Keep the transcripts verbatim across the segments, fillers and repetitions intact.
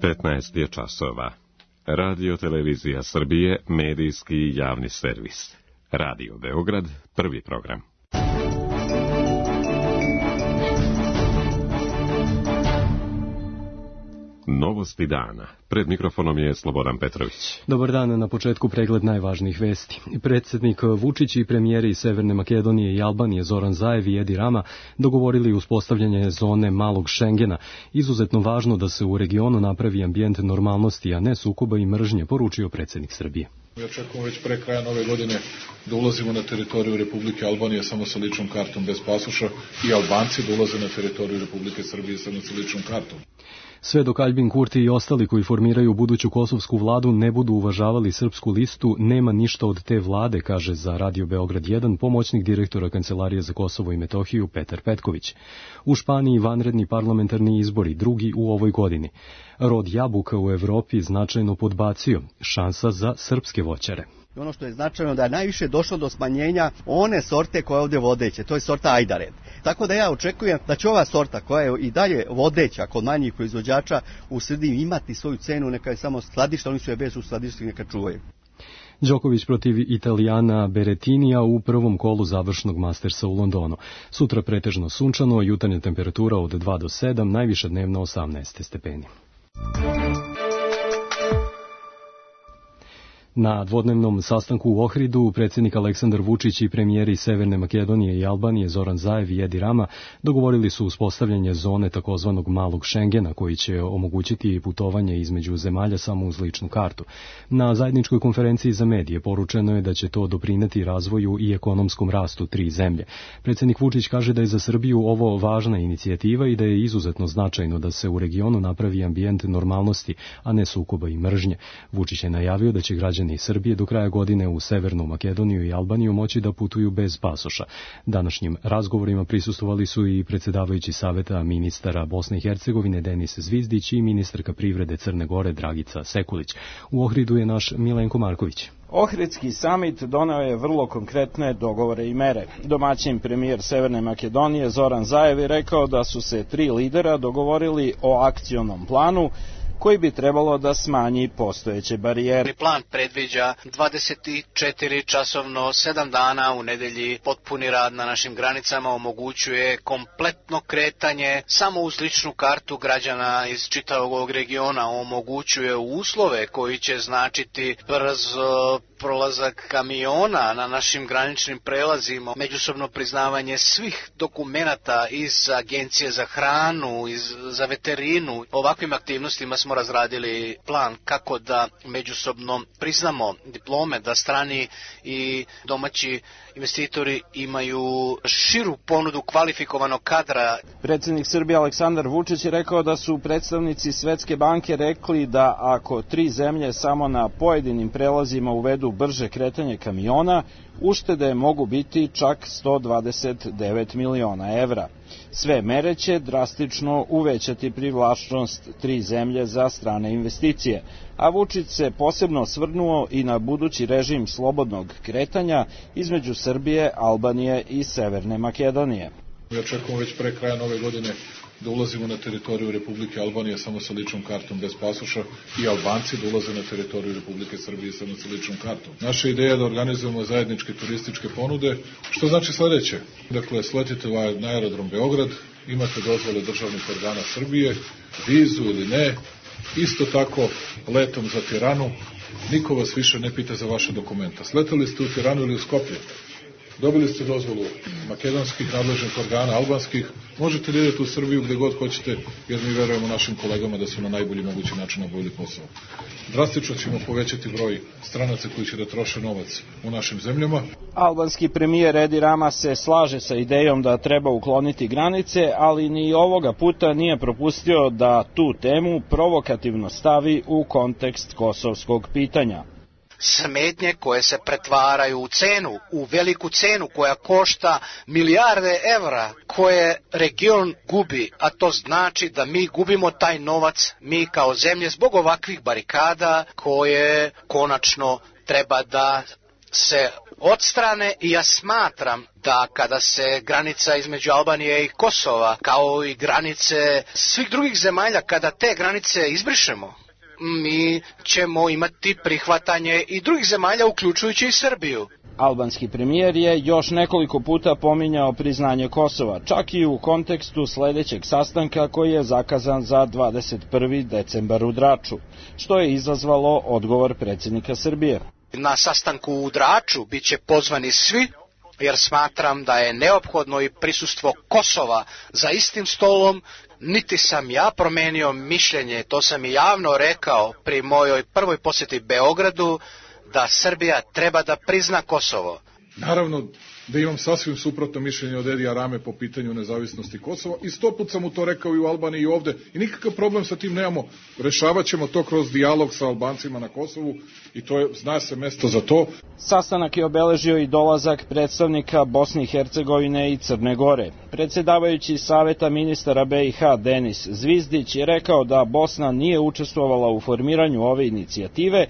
petnaest je časova. Radio Televizija Srbije, medijski javni servis. Radio Beograd, prvi program. Novosti dana. Pred mikrofonom je Slobodan Petrović. Dobar dan, na početku pregled najvažnijih vesti. Predsjednik Vučić i premijeri Severne Makedonije i Albanije Zoran Zaev i Edi Rama dogovorili uspostavljanje zone malog Šengena. Izuzetno važno da se u regionu napravi ambijent normalnosti, a ne sukoba i mržnje, poručio predsjednik Srbije. Mi očekujemo već pre kraja nove godine da ulazimo na teritoriju Republike Albanije samo sa ličnom kartom bez pasoša i Albanci da ulaze na teritoriju Republike Srbije samo sa ličnom kartom. Sve dok Aljbin Kurti i ostali koji formiraju buduću kosovsku vladu ne budu uvažavali srpsku listu, nema ništa od te vlade, kaže za Radio Beograd jedan pomoćnik direktora Kancelarije za Kosovo i Metohiju Petar Petković. U Španiji vanredni parlamentarni izbori, drugi u ovoj godini. Rod jabuka u Evropi značajno podbacio, šansa za srpske voćare. I ono što je značajno da je najviše došlo do smanjenja one sorte koja je ovdje vodeće, to je sorta Ajdared. Tako da ja očekujem da će ova sorta koja je i dalje vodeća kod manjih proizvođača u Srbiji imati svoju cenu, neka je samo skladišta, oni su je bez u skladištu, neka čuvaju. Đoković protiv Italijana Berettinija u prvom kolu završnog Mastersa u Londonu. Sutra pretežno sunčano, jutarnja temperatura od dva do sedam, najviša dnevna osamnaest stepeni. Na dvodnevnom sastanku u Ohridu predsjednik Aleksandar Vučić i premijeri Severne Makedonije i Albanije Zoran Zaev i Edi Rama dogovorili su uspostavljanje zone takozvanog malog Šengena koji će omogućiti putovanje između zemalja samo uz ličnu kartu. Na zajedničkoj konferenciji za medije poručeno je da će to doprineti razvoju i ekonomskom rastu tri zemlje. Predsjednik Vučić kaže da je za Srbiju ovo važna inicijativa i da je izuzetno značajno da se u regionu napravi ambijent normalnosti, a ne sukoba i mržnje. Vučić je najavio da će građani iz Srbije do kraja godine u Severnu Makedoniju i Albaniju moći da putuju bez pasoša. Današnjim razgovorima prisustvovali su i predsjedavajući Saveta ministara Bosne i Hercegovine Denis Zvizdić i ministarka privrede Crne Gore Dragica Sekulić. U Ohridu je naš Milenko Marković. Ohridski samit doneo je vrlo konkretne dogovore i mere. Domaćin premijer Severne Makedonije Zoran Zaev je rekao da su se tri lidera dogovorili o akcionom planu koji bi trebalo da smanji postojeće barijere. Plan predviđa dvadeset četiri časovno sedam dana u nedelji, potpuni rad na našim granicama, omogućuje kompletno kretanje samo uz ličnu kartu građana iz čitavog ovog regiona, omogućuje uslove koji će značiti brz prolazak kamiona na našim graničnim prelazima, međusobno priznavanje svih dokumenata iz Agencije za hranu, iz, za veterinu. Ovakvim aktivnostima smo razradili plan kako da međusobno priznamo diplome, da strani i domaći investitori imaju širu ponudu kvalifikovanog kadra. Predsjednik Srbije Aleksandar Vučić je rekao da su predstavnici Svetske banke rekli da ako tri zemlje samo na pojedinim prelazima uvedu brže kretanje kamiona, uštede mogu biti čak sto dvadeset devet miliona evra. Sve mere će drastično uvećati privlačnost tri zemlje za strane investicije, a Vučić se posebno osvrnuo i na budući režim slobodnog kretanja između Srbije, Albanije i Severne Makedonije. Mi očekujemo već pre kraja nove godine da ulazimo na teritoriju Republike Albanije samo sa ličnom kartom bez pasoša i Albanci da ulaze na teritoriju Republike Srbije samo sa ličnom kartom. Naša ideja je da organizujemo zajedničke turističke ponude, što znači sledeće. Dakle, sletite na aerodrom Beograd, imate dozvole državnih organa Srbije, vizu ili ne, isto tako letom za Tiranu, niko vas više ne pita za vaše dokumenta. Sletali ste u Tiranu ili u Skoplje, dobili ste dozvolu makedonskih nadležnih organa, albanskih, možete da idete u Srbiju gde god hoćete, jer mi verujemo našim kolegama da su na najbolji mogući način obavili posao. Drastično ćemo povećati broj stranaca koji će da troše novac u našim zemljama. Albanski premijer Edi Rama se slaže sa idejom da treba ukloniti granice, ali ni ovoga puta nije propustio da tu temu provokativno stavi u kontekst kosovskog pitanja. Smetnje koje se pretvaraju u cenu, u veliku cenu koja košta milijarde evra koje region gubi, a to znači da mi gubimo taj novac, mi kao zemlje, zbog ovakvih barikada koje konačno treba da se odstrane i ja smatram da kada se granica između Albanije i Kosova, kao i granice svih drugih zemalja, kada te granice izbrišemo, mi ćemo imati prihvatanje i drugih zemalja, uključujući i Srbiju. Albanski premijer je još nekoliko puta pominjao priznanje Kosova, čak i u kontekstu sledećeg sastanka koji je zakazan za dvadeset prvi decembar u Draču, što je izazvalo odgovor predsjednika Srbije. Na sastanku u Draču bit će pozvani svi, jer smatram da je neophodno i prisustvo Kosova za istim stolom. Niti sam ja promenio mišljenje, to sam i javno rekao pri mojoj prvoj posjeti Beogradu, da Srbija treba da prizna Kosovo. Naravno da imam sasvim suprotno mišljenje od Edija Rame po pitanju nezavisnosti Kosova i sto put sam mu to rekao i u Albaniji i ovde i nikakav problem sa tim nemamo. Rešavat ćemo to kroz dijalog sa Albancima na Kosovu i to je, zna se mesto za to. Sastanak je obeležio i dolazak predstavnika Bosne i Hercegovine i Crne Gore. Predsjedavajući Saveta ministara B i H Denis Zvizdić je rekao da Bosna nije učestvovala u formiranju ove inicijative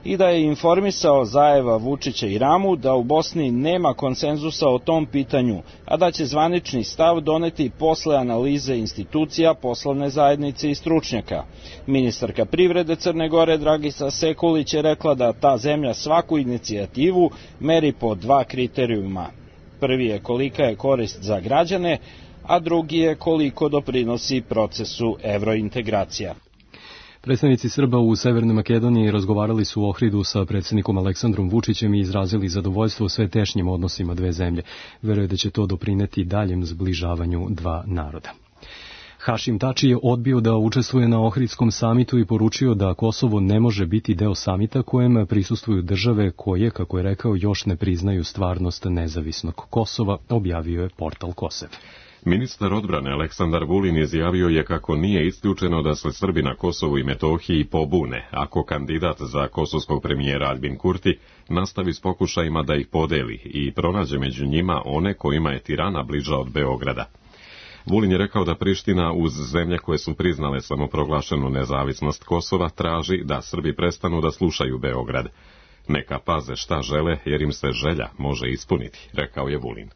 i da je informisao Zajeva, Vučića i Ramu da u Bosni nema konsenzusa o tom pitanju, a da će zvanični stav doneti posle analize institucija, poslovne zajednice i stručnjaka. Ministarka privrede Crne Gore Dragica Sekulić je rekla da ta zemlja svaku inicijativu meri po dva kriterijuma. Prvi je kolika je korist za građane, a drugi je koliko doprinosi procesu evrointegracija. Predstavnici Srba u Severnoj Makedoniji razgovarali su u Ohridu sa predsjednikom Aleksandrom Vučićem i izrazili zadovoljstvo sve tešnjim odnosima dve zemlje. Veruje da će to doprineti daljem zbližavanju dva naroda. Hašim Tači je odbio da učestvuje na Ohridskom samitu i poručio da Kosovo ne može biti deo samita kojem prisustvuju države koje, kako je rekao, još ne priznaju stvarnost nezavisnog Kosova, objavio je portal Kosev. Ministar odbrane Aleksandar Vulin izjavio je kako nije isključeno da se Srbi na Kosovu i Metohiji pobune ako kandidat za kosovskog premijera Aljbin Kurti nastavi s pokušajima da ih podeli i pronađe među njima one kojima je Tirana bliža od Beograda. Vulin je rekao da Priština uz zemlje koje su priznale samoproglašenu nezavisnost Kosova traži da Srbi prestanu da slušaju Beograd. Neka paze šta žele jer im se želja može ispuniti, rekao je Vulin.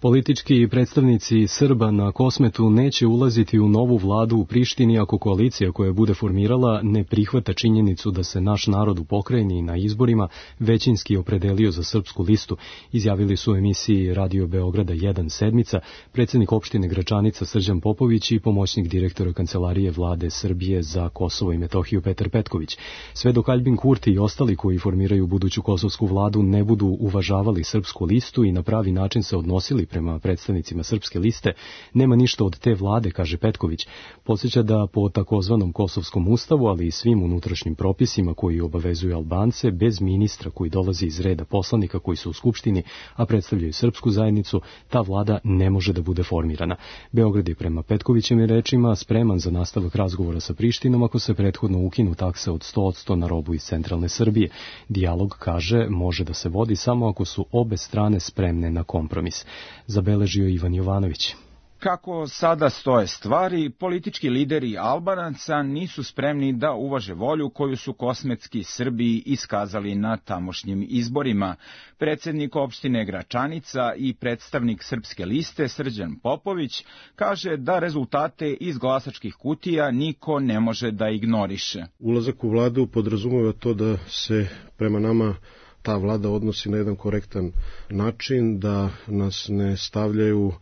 Politički predstavnici Srba na Kosmetu neće ulaziti u novu vladu u Prištini ako koalicija koja bude formirala ne prihvata činjenicu da se naš narod u pokrajini na izborima većinski opredelio za srpsku listu, izjavili su u emisiji Radio Beograda jedan sedmica predsjednik opštine Gračanica Srđan Popović i pomoćnik direktora Kancelarije vlade Srbije za Kosovo i Metohiju Petar Petković. Sve dok Aljbin Kurti i ostali koji formiraju buduću kosovsku vladu ne budu uvažavali srpsku listu i na pravi način se odnosili prema predstavnicima srpske liste, nema ništa od te vlade, kaže Petković. Podsjeća da po takozvanom kosovskom ustavu, ali i svim unutrašnjim propisima koji obavezuju Albance, bez ministra koji dolazi iz reda poslanika koji su u Skupštini, a predstavljaju srpsku zajednicu, ta vlada ne može da bude formirana. Beograd je prema Petkovićevim rečima spreman za nastavak razgovora sa Prištinom ako se prethodno ukinu takse od sto posto na robu iz centralne Srbije. Dijalog, kaže, može da se vodi samo ako su obe strane spremne na kompromis. Zabeležio Ivan Jovanović. Kako sada stoje stvari, politički lideri Albanaca nisu spremni da uvaže volju koju su kosmetski Srbiji iskazali na tamošnjim izborima. Predsjednik opštine Gračanica i predstavnik srpske liste Srđan Popović kaže da rezultate iz glasačkih kutija niko ne može da ignoriše. Ulazak u vladu podrazumeva to da se prema nama ta vlada odnosi na jedan korektan način, da nas ne stavljaju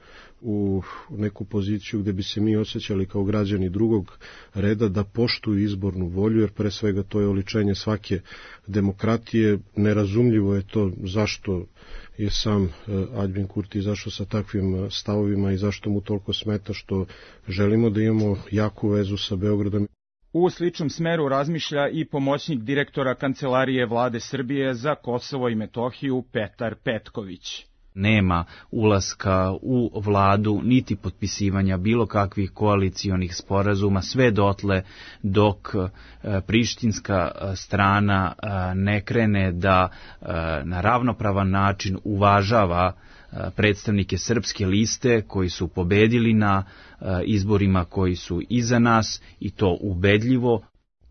u neku poziciju gde bi se mi osjećali kao građani drugog reda, da poštuju izbornu volju, jer pre svega to je oličenje svake demokratije. Nerazumljivo je to zašto je sam Aljbin Kurti izašao sa takvim stavovima i zašto mu toliko smeta što želimo da imamo jaku vezu sa Beogradom. U sličnom smeru razmišlja i pomoćnik direktora Kancelarije vlade Srbije za Kosovo i Metohiju Petar Petković. Nema ulaska u vladu niti potpisivanja bilo kakvih koalicionih sporazuma sve dotle dok prištinska strana ne krene da na ravnopravan način uvažava predstavnike srpske liste koji su pobedili na izborima koji su iza nas i to ubedljivo.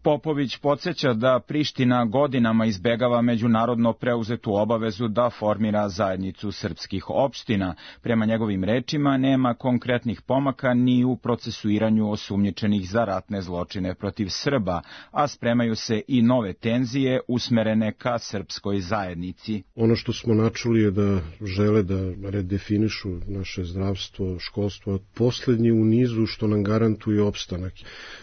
Popović podsjeća da Priština godinama izbegava međunarodno preuzetu obavezu da formira zajednicu srpskih opština. Prema njegovim rečima nema konkretnih pomaka ni u procesuiranju osumnjičenih za ratne zločine protiv Srba, a spremaju se i nove tenzije usmerene ka srpskoj zajednici. Ono što smo načuli je da žele da redefinišu naše zdravstvo, školstvo, poslednji u nizu što nam garantuje opstanak.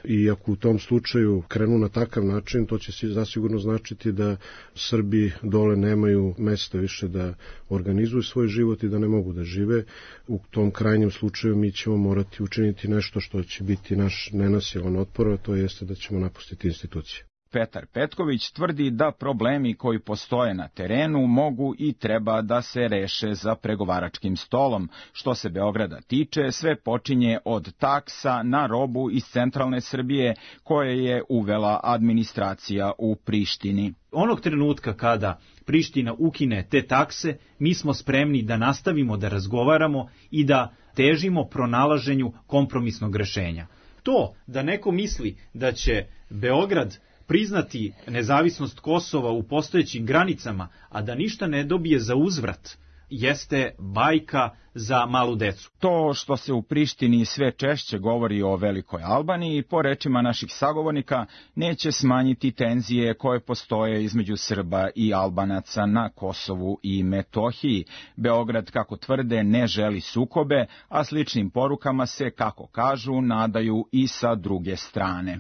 I ako u tom slučaju krenu na takav način, to će zasigurno značiti da Srbi dole nemaju mesta više da organizuju svoj život i da ne mogu da žive. U tom krajnjem slučaju mi ćemo morati učiniti nešto što će biti naš nenasilan otpor, a to jeste da ćemo napustiti institucije. Petar Petković tvrdi da problemi koji postoje na terenu mogu i treba da se reše za pregovaračkim stolom. Što se Beograda tiče, sve počinje od taksa na robu iz centralne Srbije koje je uvela administracija u Prištini. Onog trenutka kada Priština ukine te takse, mi smo spremni da nastavimo da razgovaramo i da težimo pronalaženju kompromisnog rešenja. To da neko misli da će Beograd priznati nezavisnost Kosova u postojećim granicama, a da ništa ne dobije za uzvrat, jeste bajka za malu decu. To što se u Prištini sve češće govori o Velikoj Albaniji, po rečima naših sagovornika, neće smanjiti tenzije koje postoje između Srba i Albanaca na Kosovu i Metohiji. Beograd, kako tvrde, ne želi sukobe, a sličnim porukama se, kako kažu, nadaju i sa druge strane.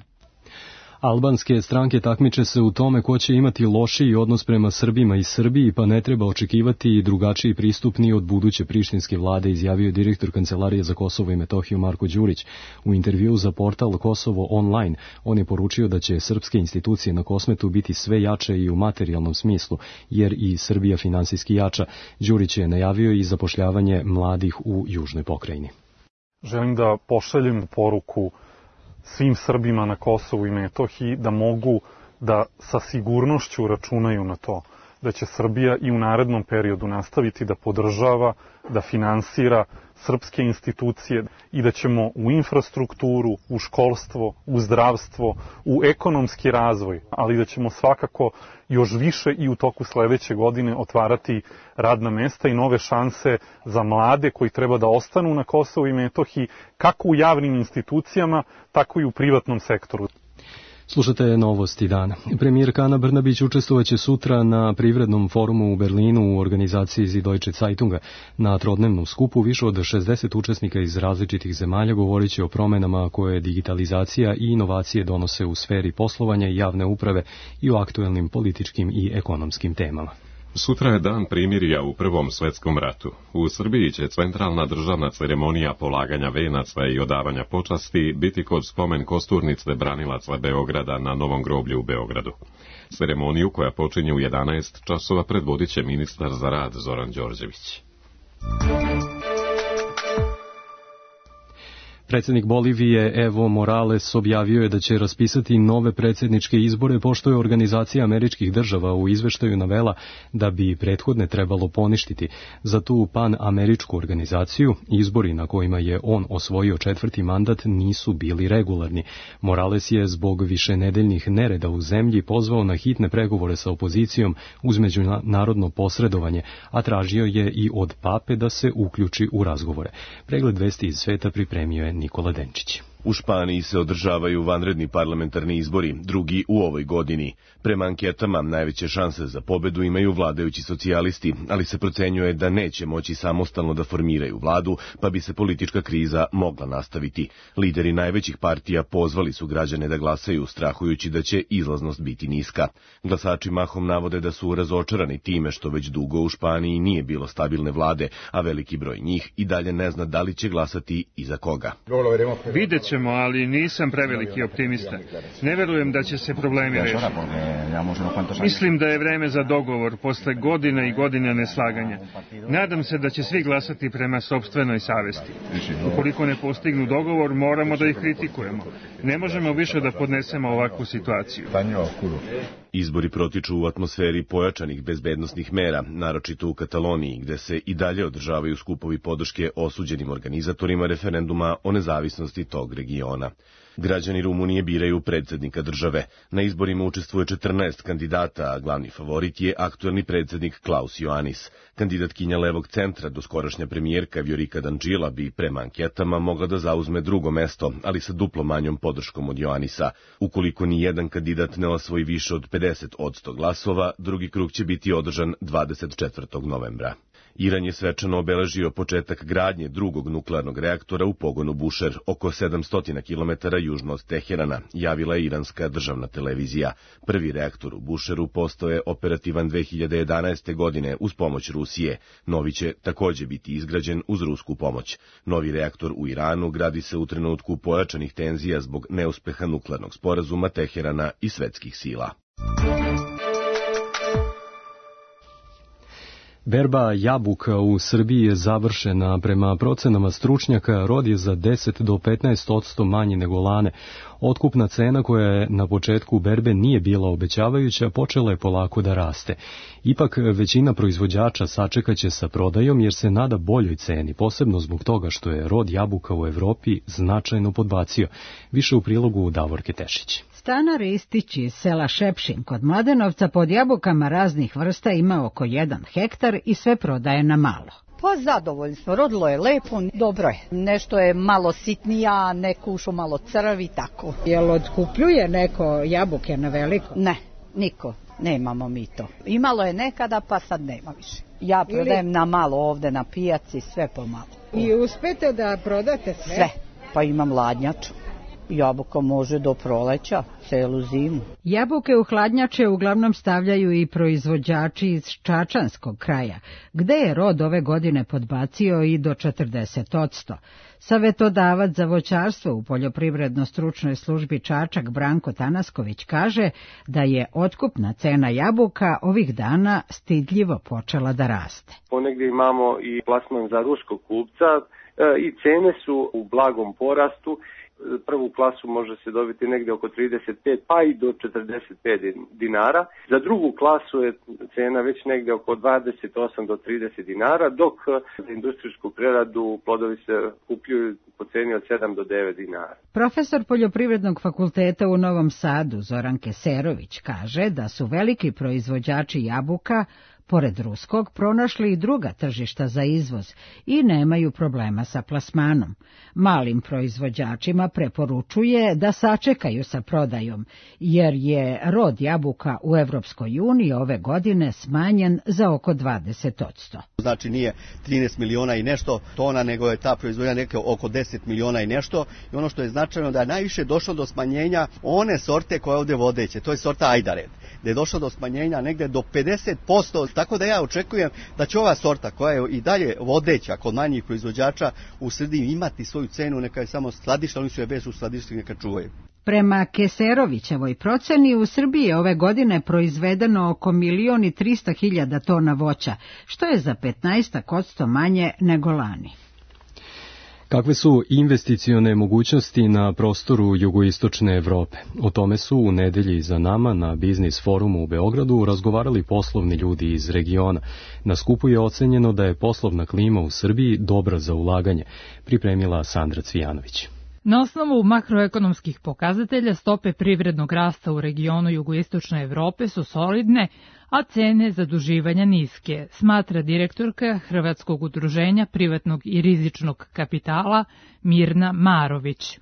Albanske stranke takmiče se u tome ko će imati lošiji odnos prema Srbima i Srbiji, pa ne treba očekivati i drugačiji pristup ni od buduće prištinske vlade, izjavio direktor Kancelarije za Kosovo i Metohiju Marko Đurić. U intervjuu za portal Kosovo online on je poručio da će srpske institucije na Kosmetu biti sve jače i u materijalnom smislu, jer i Srbija finansijski jača. Đurić je najavio i zapošljavanje mladih u južnoj pokrajini. Želim da pošaljem poruku svim Srbima na Kosovu i Metohiji da mogu da sa sigurnošću računaju na to da će Srbija i u narednom periodu nastaviti da podržava, da finansira srpske institucije i da ćemo u infrastrukturu, u školstvo, u zdravstvo, u ekonomski razvoj, ali da ćemo svakako još više i u toku sledeće godine otvarati radna mesta i nove šanse za mlade koji treba da ostanu na Kosovu i Metohiji, kako u javnim institucijama, tako i u privatnom sektoru. Slušate novosti dana. Premijerka Ana Brnabić učestvovaće sutra na privrednom forumu u Berlinu u organizaciji Süddeutsche Zeitunga. Na trodnevnom skupu više od šezdeset učesnika iz različitih zemalja govorit će o promenama koje digitalizacija i inovacije donose u sferi poslovanja i javne uprave i o aktuelnim političkim i ekonomskim temama. Sutra je dan primirja u Prvom svetskom ratu. U Srbiji će centralna državna ceremonija polaganja venaca i odavanja počasti biti kod spomen kosturnice branilaca Beograda na Novom groblju u Beogradu. Ceremoniju koja počinje u jedanaest časova predvodit će ministar za rad Zoran Đorđević. Predsjednik Bolivije Evo Morales objavio je da će raspisati nove predsjedničke izbore, pošto je Organizacija američkih država u izveštaju navela da bi prethodne trebalo poništiti. Za tu pan-američku organizaciju izbori na kojima je on osvojio četvrti mandat nisu bili regularni. Morales je zbog višenedeljnih nereda u zemlji pozvao na hitne pregovore sa opozicijom uz međunarodno posredovanje, a tražio je i od pape da se uključi u razgovore. Pregled vesti iz sveta pripremio je Nikola Denčić. U Španiji se održavaju vanredni parlamentarni izbori, drugi u ovoj godini. Prema anketama najveće šanse za pobedu imaju vladajući socijalisti, ali se procenjuje da neće moći samostalno da formiraju vladu, pa bi se politička kriza mogla nastaviti. Lideri najvećih partija pozvali su građane da glasaju, strahujući da će izlaznost biti niska. Glasači mahom navode da su razočarani time što već dugo u Španiji nije bilo stabilne vlade, a veliki broj njih i dalje ne zna da li će glasati i za koga. Vidjet ćemo, ali nisam preveliki optimista. Ne verujem da će se problemi rešiti. Mislim da je vreme za dogovor posle godina i godina neslaganja. Nadam se da će svi glasati prema sopstvenoj savesti. Ukoliko ne postignu dogovor, moramo da ih kritikujemo. Ne možemo više da podnesemo ovakvu situaciju. Izbori protiču u atmosferi pojačanih bezbednosnih mera, naročito u Kataloniji, gde se i dalje održavaju skupovi podrške osuđenim organizatorima referenduma o nezavisnosti tog regiona. Građani Rumunije biraju predsjednika države. Na izborima učestvuje četrnaest kandidata, a glavni favorit je aktuelni predsjednik Klaus Iohannis. Kandidatkinja levog centra, doskorašnja premijerka Viorica Dăncilă bi prema anketama mogla da zauzme drugo mesto, ali sa duplo manjom podrškom od Iohannisa. Ukoliko ni jedan kandidat ne osvoji više od pedeset posto glasova, drugi krug će biti održan dvadeset četvrtog novembra. Iran je svečano obeležio početak gradnje drugog nuklearnog reaktora u pogonu Bushehr, oko sedamsto kilometara južno od Teherana, javila je iranska državna televizija. Prvi reaktor u Bušeru postao je operativan dve hiljade jedanaeste. godine uz pomoć Rusije. Novi će takođe biti izgrađen uz rusku pomoć. Novi reaktor u Iranu gradi se u trenutku pojačanih tenzija zbog neuspeha nuklearnog sporazuma Teherana i svetskih sila. Berba jabuka u Srbiji je završena. Prema procenama stručnjaka, rod je za deset do petnaest posto manji nego lane. Otkupna cena koja je na početku berbe nije bila obećavajuća, počela je polako da raste. Ipak većina proizvođača sačekaće sa prodajom jer se nada boljoj ceni, posebno zbog toga što je rod jabuka u Evropi značajno podbacio. Više u prilogu Davorke Tešić. Stana Ristić iz sela Šepšin kod Mladenovca pod jabukama raznih vrsta ima oko jedan hektar i sve prodaje na malo. Pa zadovoljni smo, rodilo je lepo, dobro je. Nešto je malo sitnija, neko ušo malo crvi, tako. Jel otkupljuje neko jabuke na veliko? Ne, niko, nemamo mi to. Imalo je nekada, pa sad nema više. Ja prodajem Ili... na malo ovde na pijaci, sve pomalo. I uspete da prodate sve? Sve, pa imam ladnjaču. Jabuka može do proleća, celu zimu. Jabuke u hladnjače uglavnom stavljaju i proizvođači iz Čačanskog kraja, gde je rod ove godine podbacio i do četrdeset posto. Savetodavac za voćarstvo u poljoprivredno-stručnoj službi Čačak Branko Tanasković kaže da je otkupna cena jabuka ovih dana stidljivo počela da raste. Ponegdje imamo i plasman za ruskog kupca i cene su u blagom porastu. Prvu klasu može se dobiti negdje oko trideset pet pa i do četrdeset pet dinara. Za drugu klasu je cena već negdje oko dvadeset osam do trideset dinara, dok za industrijsku preradu plodovi se kupljuju po ceni od sedam do devet dinara. Profesor Poljoprivrednog fakulteta u Novom Sadu Zoran Keserović kaže da su veliki proizvođači jabuka pored ruskog, pronašli i druga tržišta za izvoz i nemaju problema sa plasmanom. Malim proizvođačima preporučuje da sačekaju sa prodajom, jer je rod jabuka u Evropskoj uniji ove godine smanjen za oko dvadeset posto. Znači nije trinaest miliona i nešto tona, nego je ta proizvodnja neke oko deset miliona i nešto. I ono što je značajno da je najviše došlo do smanjenja one sorte koje ovde vodeće, to je sorta Ajdared, gde je došlo do smanjenja negde do pedeset posto. Tako da ja očekujem da će ova sorta koja je i dalje vodeća kod manjih proizvođača u Srbiji imati svoju cenu, neka je samo skladišta, oni su je bez u skladištu neka čuvaju. Prema Keserovićevoj proceni u Srbiji je ove godine proizvedeno oko milion i trista hiljada tona voća, što je za petnaest posto manje nego lani. Kakve su investicione mogućnosti na prostoru jugoistočne Evrope? O tome su u nedelji za nama na Biznis forumu u Beogradu razgovarali poslovni ljudi iz regiona. Na skupu je ocenjeno da je poslovna klima u Srbiji dobra za ulaganje, pripremila Sandra Cvijanović. Na osnovu makroekonomskih pokazatelja stope privrednog rasta u regionu jugoistočne Evrope su solidne, a cene zaduživanja niske, smatra direktorka Hrvatskog udruženja privatnog i rizičnog kapitala Mirna Marović.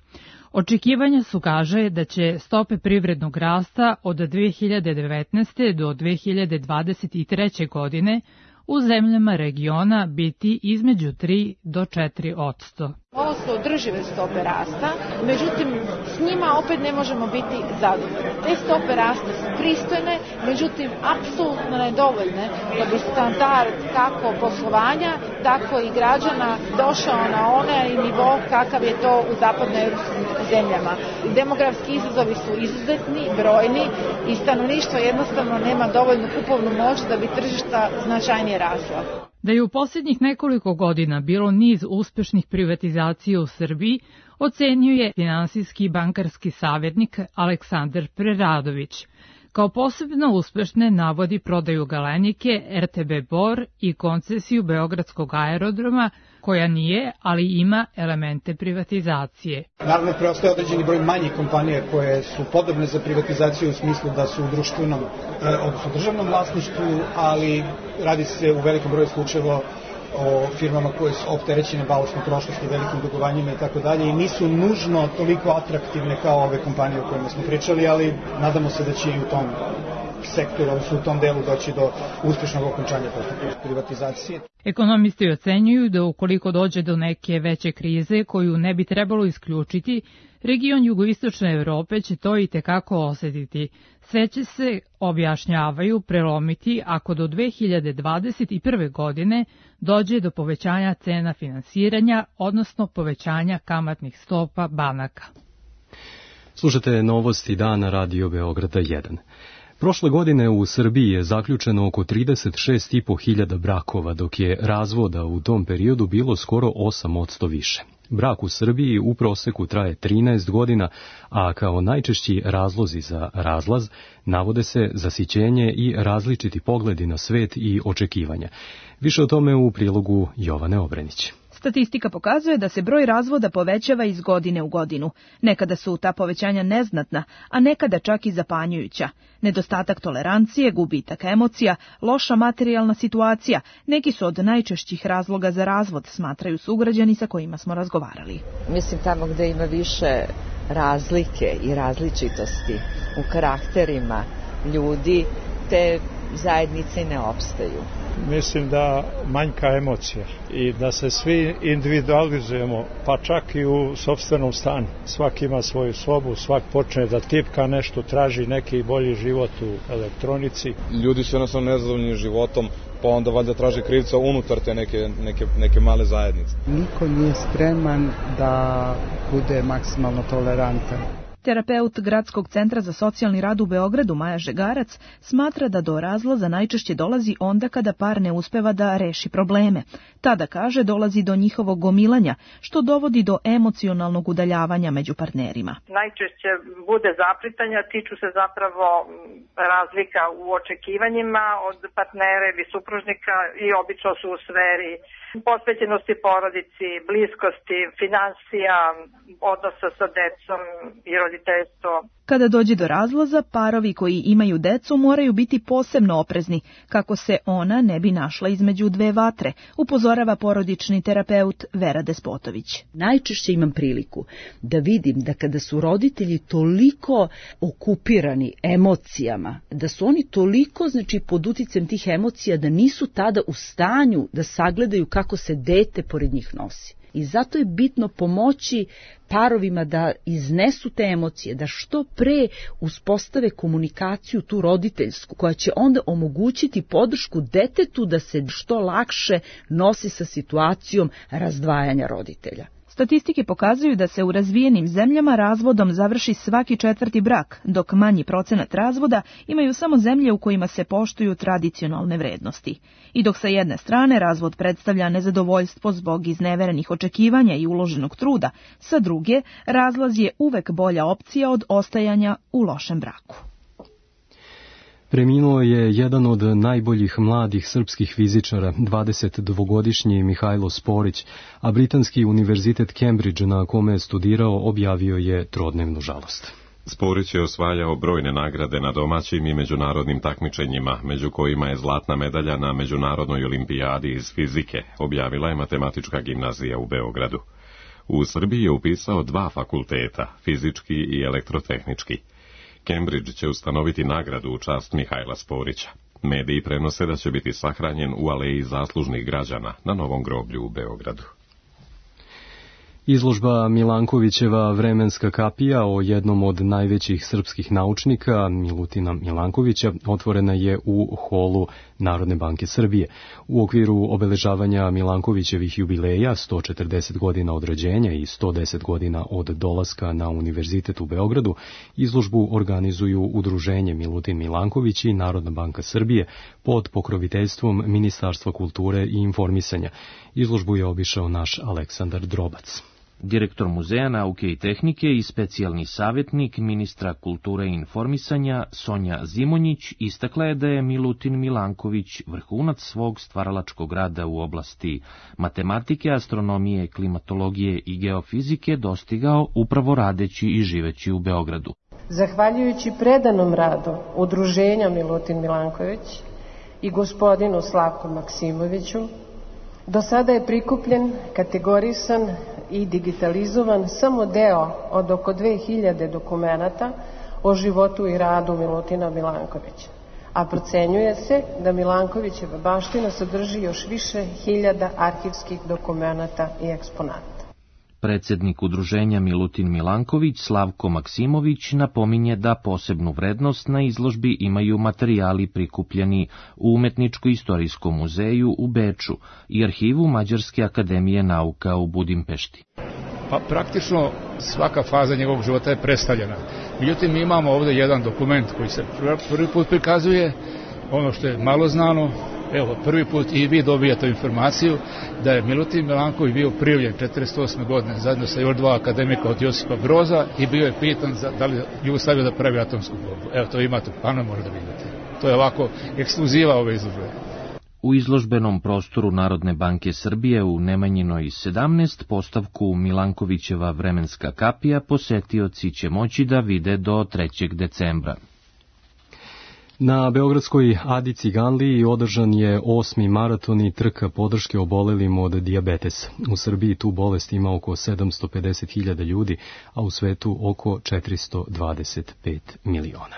Očekivanja su, kaže, da će stope privrednog rasta od dve hiljade devetnaeste. do dve hiljade dvadeset treće. godine u zemljama regiona biti između tri do četiri posto. Ovo su održive stope rasta, međutim s njima opet ne možemo biti zadovoljni. Te stope rasta su pristojne, međutim apsolutno nedovoljne da bi standard kako poslovanja, tako i građana došao na onaj nivo kakav je to u zapadnoevropskim zemljama. Demografski izazovi su izuzetni, brojni i stanovništvo jednostavno nema dovoljnu kupovnu moć da bi tržišta značajnije rasla. Da je u posljednjih nekoliko godina bilo niz uspešnih privatizacija u Srbiji, ocenio je finansijski i bankarski savjetnik Aleksandar Preradović. Kao posebno uspešne navodi prodaju Galenike, R T B Bor i koncesiju Beogradskog aerodroma, koja nije, ali ima elemente privatizacije. Naravno, preostaje određeni broj manjih kompanija koje su podobne za privatizaciju u smislu da su u društvenom, odnosno državnom vlasništvu, ali radi se u velikom broju slučajeva o firmama koje su opterećene balastnom prošlosti, velikim dugovanjima i tako dalje i nisu nužno toliko atraktivne kao ove kompanije o kojima smo pričali, ali nadamo se da će i u tom sektoru, odnosno u tom delu doći do uspešnog okončanja postupka privatizacije. Ekonomisti ocenjuju da ukoliko dođe do neke veće krize koju ne bi trebalo isključiti, region jugoistočne Evrope će to i tekako osetiti. Sve će se, objašnjavaju, prelomiti ako do dve hiljade dvadeset prve. godine dođe do povećanja cena finansiranja, odnosno povećanja kamatnih stopa banaka. Slušate novosti dana Radio Beograda jedan. Prošle godine u Srbiji je zaključeno oko trideset šest i po hiljada brakova, dok je razvoda u tom periodu bilo skoro osam posto više. Brak u Srbiji u proseku traje trinaest godina, a kao najčešći razlozi za razlaz navode se zasićenje i različiti pogledi na svet i očekivanja. Više o tome u prilogu Jovane Obrenić. Statistika pokazuje da se broj razvoda povećava iz godine u godinu. Nekada su ta povećanja neznatna, a nekada čak i zapanjujuća. Nedostatak tolerancije, gubitak emocija, loša materijalna situacija, neki su od najčešćih razloga za razvod, smatraju sugrađani sa kojima smo razgovarali. Mislim tamo gde ima više razlike i različitosti u karakterima ljudi, te zajednice ne opstaju. Mislim da manjka emocija i da se svi individualizujemo, pa čak i u sopstvenom stanu. Svak ima svoju sobu, svak počne da tipka nešto, traži neki bolji život u elektronici. Ljudi su jednostavno nezadovoljni životom, pa onda valjda traže krivca unutar te neke, neke, neke male zajednice. Niko nije spreman da bude maksimalno tolerantan. Terapeut Gradskog centra za socijalni rad u Beogradu, Maja Žegarac, smatra da do razlaza najčešće dolazi onda kada par ne uspeva da reši probleme. Tada, kaže, dolazi do njihovog gomilanja, što dovodi do emocionalnog udaljavanja među partnerima. Najčešće bude zapritanja, tiču se zapravo razlika u očekivanjima od partnera ili supružnika i obično su u sferi posvećenosti porodici, bliskosti, finansija, odnosa sa decom i roditeljstvom. Kada dođe do razlaza, parovi koji imaju decu moraju biti posebno oprezni, kako se ona ne bi našla između dve vatre, upozorava porodični terapeut Vera Despotović. Najčešće imam priliku da vidim da kada su roditelji toliko okupirani emocijama, da su oni toliko, znači, pod uticajem tih emocija da nisu tada u stanju da sagledaju kako se dete pored njih nosi. I zato je bitno pomoći parovima da iznesu te emocije, da što pre uspostave komunikaciju tu roditeljsku, koja će onda omogućiti podršku detetu da se što lakše nosi sa situacijom razdvajanja roditelja. Statistike pokazuju da se u razvijenim zemljama razvodom završi svaki četvrti brak, dok manji procenat razvoda imaju samo zemlje u kojima se poštuju tradicionalne vrednosti. I dok sa jedne strane razvod predstavlja nezadovoljstvo zbog izneverenih očekivanja i uloženog truda, sa druge razlaz je uvek bolja opcija od ostajanja u lošem braku. Preminuo je jedan od najboljih mladih srpskih fizičara, dvadesetdvogodišnji Mihajlo Sporić, a Britanski univerzitet Cambridge, na kome je studirao, objavio je trodnevnu žalost. Sporić je osvajao brojne nagrade na domaćim i međunarodnim takmičenjima, među kojima je zlatna medalja na Međunarodnoj olimpijadi iz fizike, objavila je Matematička gimnazija u Beogradu. U Srbiji je upisao dva fakulteta, fizički i elektrotehnički. Cambridge će ustanoviti nagradu u čast Mihajla Sporića. Mediji prenose da će biti sahranjen u aleji zaslužnih građana na Novom groblju u Beogradu. Izložba Milankovićeva vremenska kapija o jednom od najvećih srpskih naučnika, Milutina Milankovića, otvorena je u holu Narodne banke Srbije. U okviru obeležavanja Milankovićevih jubileja, sto četrdeset godina od rođenja i sto deset godina od dolaska na Univerzitet u Beogradu, izložbu organizuju Udruženje Milutin Milanković i Narodna banka Srbije pod pokroviteljstvom Ministarstva kulture i informisanja. Izložbu je obišao naš Aleksandar Drobac. Direktor Muzeja nauke i tehnike i specijalni savjetnik ministra kulture i informisanja Sonja Zimonjić istakla je da je Milutin Milanković vrhunac svog stvaralačkog rada u oblasti matematike, astronomije, klimatologije i geofizike dostigao upravo radeći i živeći u Beogradu. Zahvaljujući predanom radu Udruženja Milutin Milanković i gospodinu Slavku Maksimoviću, do sada je prikupljen, kategorisan i digitalizovan samo deo od oko dve hiljade dokumenata o životu i radu Milutina Milankovića, a procenjuje se da Milankovićeva baština sadrži još više hiljada arhivskih dokumenata i eksponata. Predsednik udruženja Milutin Milanković Slavko Maksimović napominje da posebnu vrednost na izložbi imaju materijali prikupljeni u Umetničko-istorijskom muzeju u Beču i arhivu Mađarske akademije nauka u Budimpešti. Pa praktično svaka faza njegovog života je predstavljena. Međutim, mi imamo ovde jedan dokument koji se prvi put prikazuje, ono što je malo znano. Evo, prvi put i vi dobijate informaciju da je Milutin Milanković bio prijavljen četrdeset osme godine zajedno sa još dva akademika od Josipa Broza i bio je pitan za, da li Jugoslavija da pravi atomsku bombu. Evo, to imate, pano možda vidite. To je ovako ekskluziva ove izložbe. U izložbenom prostoru Narodne banke Srbije u Nemanjinoj sedamnaest postavku Milankovićeva vremenska kapija posetioci će moći da vide do trećeg decembra. Na Beogradskoj Adi Ciganliji održan je osmi maraton i trka podrške obolelim od dijabetesa. U Srbiji tu bolest ima oko sedamsto pedeset hiljada ljudi, a u svetu oko četiristo dvadeset pet miliona.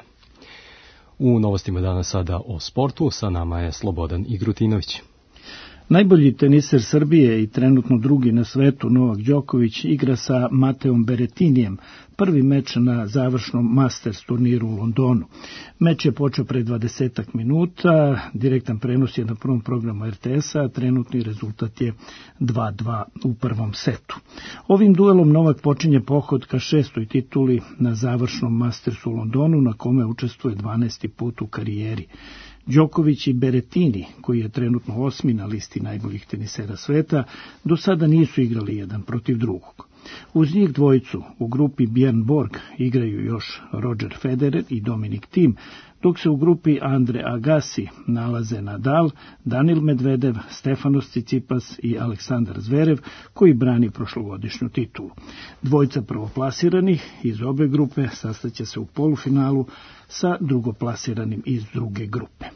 U novostima danas sada o sportu, sa nama je Slobodan Igrutinović. Najbolji teniser Srbije i trenutno drugi na svetu Novak Đoković igra sa Mateom Beretinijem prvi meč na završnom Masters turniru u Londonu. Meč je počeo pre dvadesetak minuta, direktan prenos je na prvom programu er te esa, a trenutni rezultat je dva dva u prvom setu. Ovim duelom Novak počinje pohod ka šestoj tituli na završnom Mastersu u Londonu, na kome učestvuje dvanaesti put u karijeri. Đoković i Beretini, koji je trenutno osmi na listi najboljih tenisera sveta, do sada nisu igrali jedan protiv drugog. Uz njih dvojicu u grupi Bjorn Borg igraju još Roger Federer i Dominic Thiem, dok se u grupi Andre Agassi nalaze Nadal, Danil Medvedev, Stefanos Tsitsipas i Aleksandar Zverev, koji brani prošlogodišnju titulu. Dvojica prvoplasiranih iz obe grupe sastaće se u polufinalu sa drugoplasiranim iz druge grupe.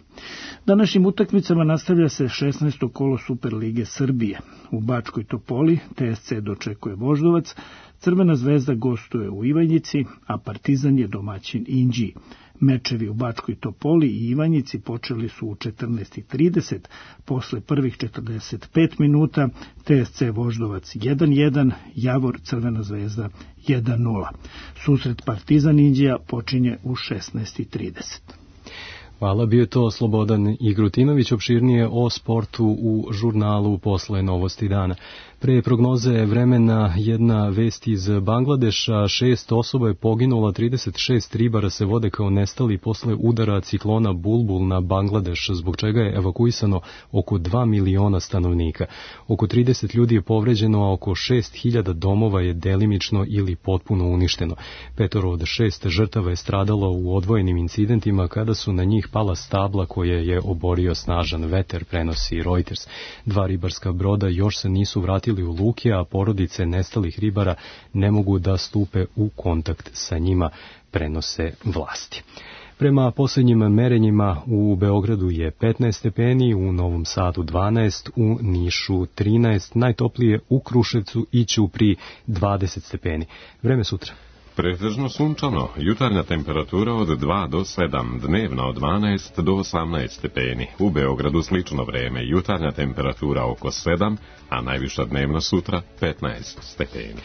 Današnjim utakmicama nastavlja se šesnaesto kolo Superlige Srbije. U Bačkoj Topoli te es ce dočekuje Voždovac, Crvena zvezda gostuje u Ivanjici, a Partizan je domaćin Inđiji. Mečevi u Bačkoj Topoli i Ivanjici počeli su u četrnaest i trideset, posle prvih četrdeset pet minuta te es ce Voždovac jedan jedan, Javor Crvena zvezda jedan nula. Susret Partizan Inđija počinje u šesnaest i trideset. Hvala, bio je to Slobodan Igrutinović, opširnije o sportu u žurnalu Posle novosti dana. Pre prognoze vremena jedna vest iz Bangladeša, šest osoba je poginula, trideset šest ribara se vode kao nestali posle udara ciklona Bulbul na Bangladeš, zbog čega je evakuisano oko dva miliona stanovnika. Oko trideset ljudi je povređeno, a oko šest hiljada domova je delimično ili potpuno uništeno. Petoro od šest žrtava je stradalo u odvojenim incidentima kada su na njih pala stabla koje je oborio snažan veter, prenosi Reuters. Dva ribarska broda još se nisu vratili u luke, a porodice nestalih ribara ne mogu da stupe u kontakt sa njima, prenose vlasti. Prema posljednjim merenjima u Beogradu je petnaest stepeni, u Novom Sadu dvanaest, u Nišu trinaest, najtoplije u Kruševcu i Ćupriji dvadeset stepeni. Vreme sutra. Pretežno sunčano, jutarnja temperatura od dva do sedam, dnevna od dvanaest do osamnaest stepeni. U Beogradu slično vreme, jutarnja temperatura oko sedam, a najviša dnevna sutra petnaest stepeni.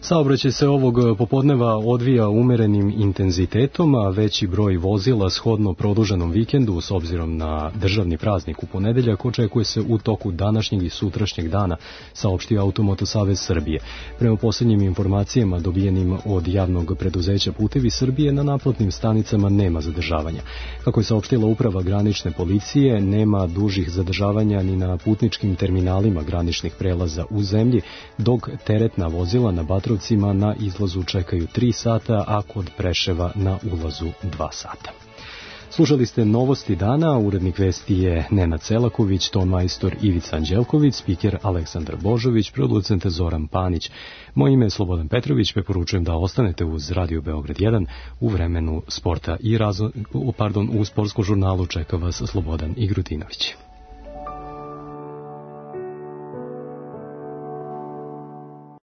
Saobraćaj se ovog popodneva odvija umerenim intenzitetom, a veći broj vozila shodno produženom vikendu s obzirom na državni praznik u ponedeljak očekuje se u toku današnjeg i sutrašnjeg dana, saopštio Automoto Savez Srbije. Prema posljednjim informacijama dobijenim od javnog preduzeća Putevi Srbije, na naplatnim stanicama nema zadržavanja. Kako je saopštila uprava granične policije, nema dužih zadržavanja ni na putničkim terminalima graničnih prelaza u zemlji, dok teretna vozila na Batrovcima na izlazu čekaju tri sata, a kod Preševa na ulazu dva sata. Slušali ste Novosti dana, urednik vesti je Nenad Selaković, ton majstor Ivica Anđelković, spiker Aleksandar Božović, producent Zoran Panić. Moje ime je Slobodan Petrović, preporučujem da ostanete uz Radio Beograd jedan u vremenu sporta i razno, pardon, u sportskom žurnalu čeka vas Slobodan Igrutinović.